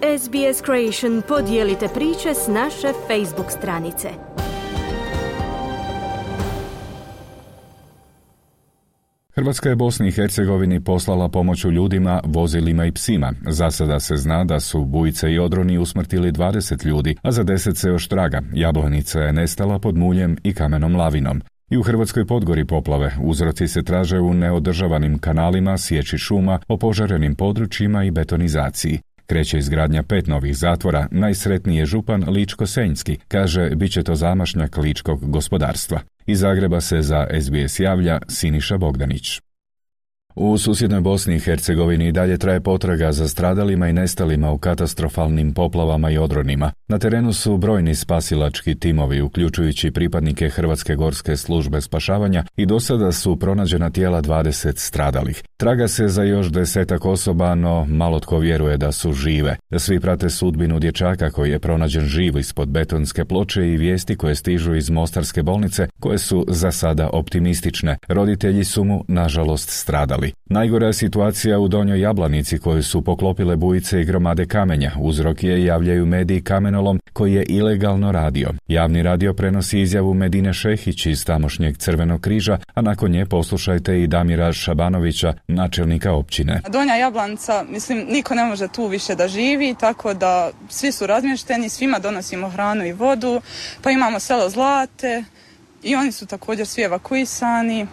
SBS Creation, podijelite priče s naše Facebook stranice. Hrvatska je Bosni i Hercegovini poslala pomoć u ljudima, vozilima i psima. Za sada se zna da su bujice i odroni usmrtili 20 ljudi, a za 10 se još traga. Jablanica je nestala pod muljem i kamenom lavinom. I u Hrvatskoj Podgori poplave. Uzroci se traže u neodržavanim kanalima, sječi šuma, opožarenim područjima i betonizaciji. Kreće izgradnja 5 novih zatvora, najsretniji je župan Ličko-Senjski, kaže bit će to zamašnjak ličkog gospodarstva. Iz Zagreba se za SBS javlja Siniša Bogdanić. U susjednoj Bosni i Hercegovini dalje traje potraga za stradalima i nestalima u katastrofalnim poplavama i odronima. Na terenu su brojni spasilački timovi, uključujući pripadnike Hrvatske gorske službe spašavanja, i do sada su pronađena tijela 20 stradalih. Traga se za još 10 osoba, no malo tko vjeruje da su žive. Svi prate sudbinu dječaka koji je pronađen živ ispod betonske ploče i vijesti koje stižu iz Mostarske bolnice, koje su za sada optimistične. Roditelji su mu, nažalost, stradali. Najgora je situacija u Donjoj Jablanici koju su poklopile bujice i gromade kamenja. Uzrok je, javljaju mediji, kamenolom koji je ilegalno radio. Javni radio prenosi izjavu Medine Šehić iz tamošnjeg Crvenog križa, a nakon nje poslušajte i Damira Šabanovića, načelnika općine. Donja Jablanica, niko ne može tu više da živi, tako da svi su razmješteni, svima donosimo hranu i vodu, pa imamo selo Zlate i oni su također svi evakuisani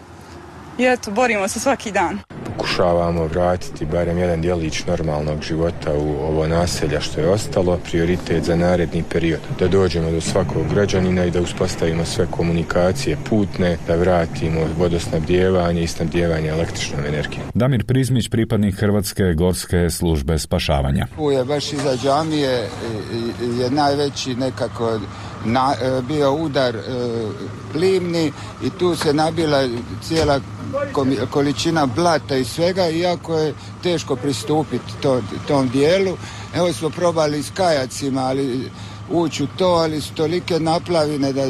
i eto, borimo se svaki dan. Pokušavamo vratiti barem jedan djelić normalnog života u ovo naselja što je ostalo. Prioritet za naredni period da dođemo do svakog građanina i da uspostavimo sve komunikacije putne, da vratimo vodosnabdijevanje i snabdijevanje električnom energijom. Damir Prizmić, pripadnik Hrvatske gorske službe spašavanja. Tu je baš iza džamije je najveći nekako bio udar plimni i tu se nabila cijela količina blata i svega, iako je teško pristupiti tom dijelu. Evo smo probali s kajacima, ali ući u to, ali su tolike naplavine da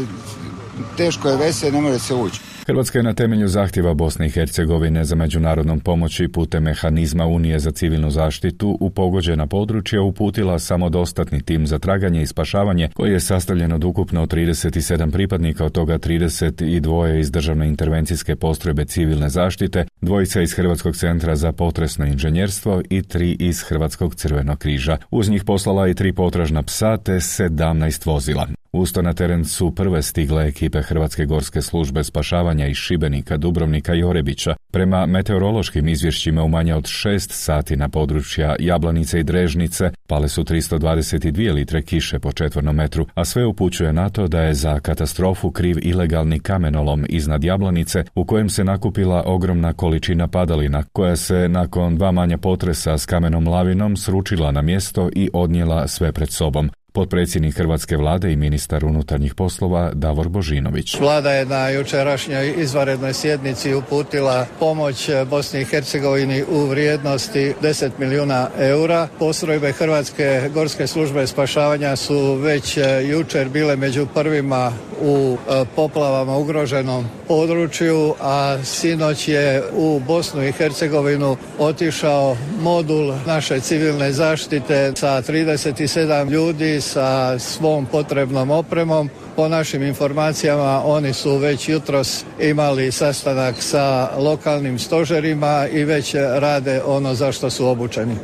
teško je vese, ne može se ući. Hrvatska je na temelju zahtjeva Bosne i Hercegovine za međunarodnom pomoći putem mehanizma Unije za civilnu zaštitu u pogođena područja uputila samodostatni tim za traganje i spašavanje koji je sastavljen od ukupno 37 pripadnika, od toga 32 iz Državne intervencijske postrojbe civilne zaštite, 2 iz Hrvatskog centra za potresno inženjerstvo i 3 iz Hrvatskog crvenog križa. Uz njih poslala i 3 potražna psa te 17 vozila. Usto na teren su prve stigle ekipe Hrvatske gorske službe spašavanja iz Šibenika, Dubrovnika i Orebića. Prema meteorološkim izvješćima u manje od 6 sati na područja Jablanice i Drežnice pale su 322 litre kiše po četvornom metru, a sve upućuje na to da je za katastrofu kriv ilegalni kamenolom iznad Jablanice u kojem se nakupila ogromna količina padalina koja se nakon 2 manja potresa s kamenom lavinom sručila na mjesto i odnijela sve pred sobom. Potpredsjednik Hrvatske vlade i ministar unutarnjih poslova Davor Božinović. Vlada je na jučerašnjoj izvanrednoj sjednici uputila pomoć Bosni i Hercegovini u vrijednosti 10 milijuna eura. Postrojbe Hrvatske gorske službe spašavanja su već jučer bile među prvima u poplavama ugroženom području, a sinoć je u Bosnu i Hercegovinu otišao modul naše civilne zaštite sa 37 ljudi sa svom potrebnom opremom. Po našim informacijama oni su već jutros imali sastanak sa lokalnim stožerima i već rade ono za što su obučeni.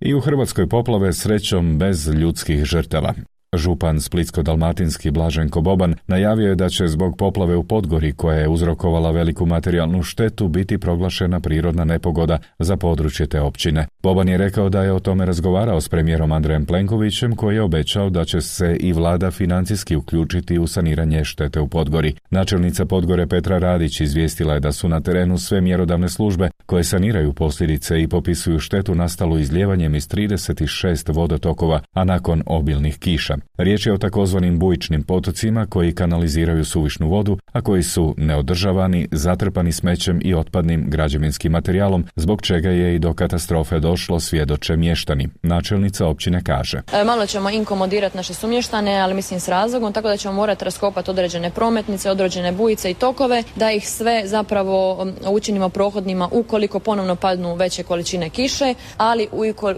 I u Hrvatskoj poplave srećom bez ljudskih žrtava. Župan Splitsko-dalmatinski Blaženko Boban najavio je da će zbog poplave u Podgori koja je uzrokovala veliku materijalnu štetu biti proglašena prirodna nepogoda za područje te općine. Boban je rekao da je o tome razgovarao s premijerom Andrejem Plenkovićem koji je obećao da će se i vlada financijski uključiti u saniranje štete u Podgori. Načelnica Podgore Petra Radić izvijestila je da su na terenu sve mjerodavne službe koje saniraju posljedice i popisuju štetu nastalu izlijevanjem iz 36 vodotokova, a nakon obilnih kiša. Riječ je o takozvanim bujičnim potocima koji kanaliziraju suvišnu vodu, a koji su neodržavani, zatrpani smećem i otpadnim građevinskim materijalom, zbog čega je i do katastrofe došlo, svjedoče mještani. Načelnica općine kaže. Malo ćemo inkomodirati naše sumještane, ali mislim s razlogom, tako da ćemo morati raskopati određene prometnice, određene bujice i tokove, da ih sve zapravo učinimo prohodnima ukoliko ponovno padnu veće količine kiše, ali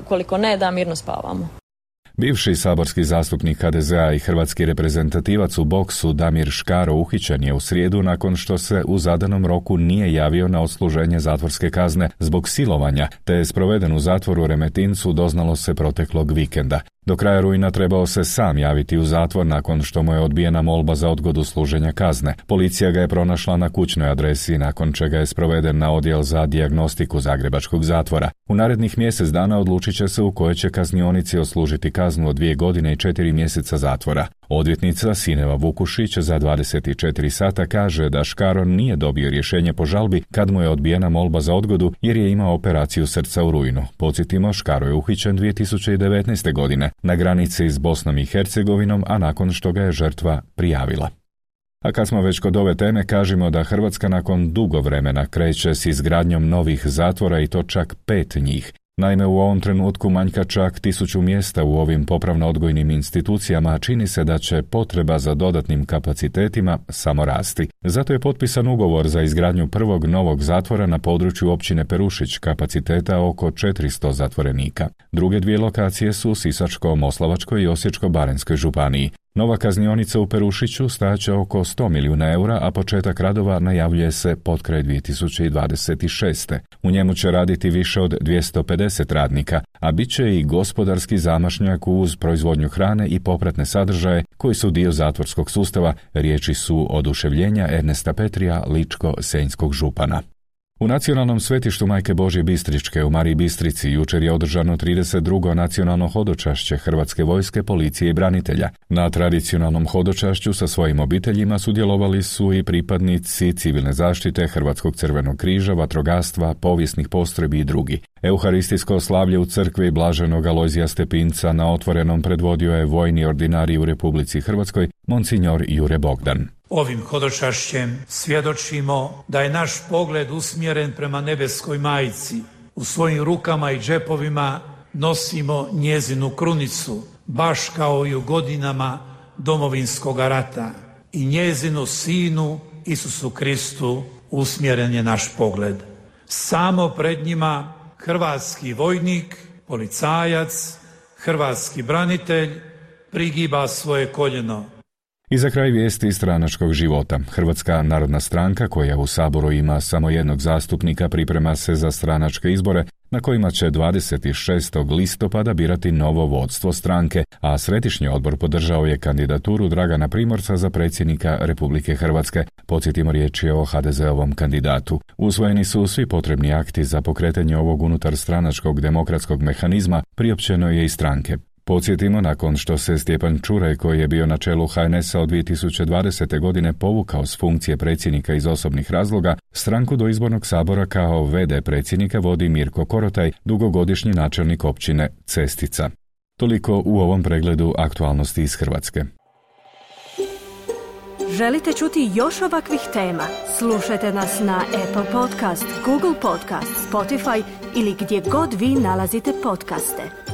ukoliko ne, da mirno spavamo. Bivši saborski zastupnik HDZ-a i hrvatski reprezentativac u boksu Damir Škaro uhićen je u srijedu nakon što se u zadanom roku nije javio na odsluženje zatvorske kazne zbog silovanja, te je sproveden u zatvoru u Remetincu, doznalo se proteklog vikenda. Do kraja rujna trebao se sam javiti u zatvor nakon što mu je odbijena molba za odgodu služenja kazne. Policija ga je pronašla na kućnoj adresi, nakon čega je sproveden na odjel za dijagnostiku zagrebačkog zatvora. U narednih mjesec dana odlučit će se u kojoj će kaznionici odslužiti kaznu od 2 godine i 4 mjeseca zatvora. Odvjetnica Sineva Vukušić za 24 sata kaže da Škaro nije dobio rješenje po žalbi kad mu je odbijena molba za odgodu jer je imao operaciju srca u rujnu. Podsjetimo, Škaro je uhićen 2019. godine na granici s Bosnom i Hercegovinom, a nakon što ga je žrtva prijavila. A kad smo već kod ove teme, kažemo da Hrvatska nakon dugo vremena kreće s izgradnjom novih zatvora i to čak 5 njih. Naime, u ovom trenutku manjka čak 1000 mjesta u ovim popravno-odgojnim institucijama, a čini se da će potreba za dodatnim kapacitetima samo rasti. Zato je potpisan ugovor za izgradnju prvog novog zatvora na području općine Perušić, kapaciteta oko 400 zatvorenika. Druge 2 lokacije su u Sisačko-moslavačkoj i Osječko-baranjskoj županiji. Nova kaznionica u Perušiću stajaće oko 100 milijuna eura, a početak radova najavljuje se potkraj 2026. U njemu će raditi više od 250 radnika, a bit će i gospodarski zamašnjak uz proizvodnju hrane i popratne sadržaje koji su dio zatvorskog sustava, riječi su oduševljenja Ernesta Petrija, ličko-senjskog župana. U nacionalnom svetištu Majke Božje Bistričke u Mariji Bistrici jučer je održano 32. nacionalno hodočašće Hrvatske vojske, policije i branitelja. Na tradicionalnom hodočašću sa svojim obiteljima sudjelovali su i pripadnici civilne zaštite, Hrvatskog crvenog križa, vatrogastva, povijesnih postrojbi i drugi. Euharistijsko slavlje u crkvi Blaženog Alojzija Stepinca na otvorenom predvodio je vojni ordinarij u Republici Hrvatskoj, monsignor Jure Bogdan. Ovim hodočašćem svjedočimo da je naš pogled usmjeren prema nebeskoj majci. U svojim rukama i džepovima nosimo njezinu krunicu, baš kao i u godinama Domovinskog rata. I njezinu sinu Isusu Kristu usmjeren je naš pogled. Samo pred njima hrvatski vojnik, policajac, hrvatski branitelj prigiba svoje koljeno. I za kraj vijesti stranačkog života. Hrvatska narodna stranka, koja u Saboru ima samo jednog zastupnika, priprema se za stranačke izbore na kojima će 26. listopada birati novo vodstvo stranke, a Središnji odbor podržao je kandidaturu Dragana Primorca za predsjednika Republike Hrvatske. Podsjetimo, riječ je o HDZ-ovom kandidatu. Usvojeni su svi potrebni akti za pokretanje ovog unutar stranačkog demokratskog mehanizma, priopćeno je i stranke. Podsjetimo, nakon što se Stjepan Čuraj, koji je bio na čelu HNS-a od 2020. godine, povukao s funkcije predsjednika iz osobnih razloga, stranku do izbornog sabora kao v.d. predsjednika vodi Mirko Korotaj, dugogodišnji načelnik općine Cestica. Toliko u ovom pregledu aktualnosti iz Hrvatske. Želite čuti još ovakvih tema? Slušajte nas na Apple Podcast, Google Podcast, Spotify ili gdje god vi nalazite podcaste.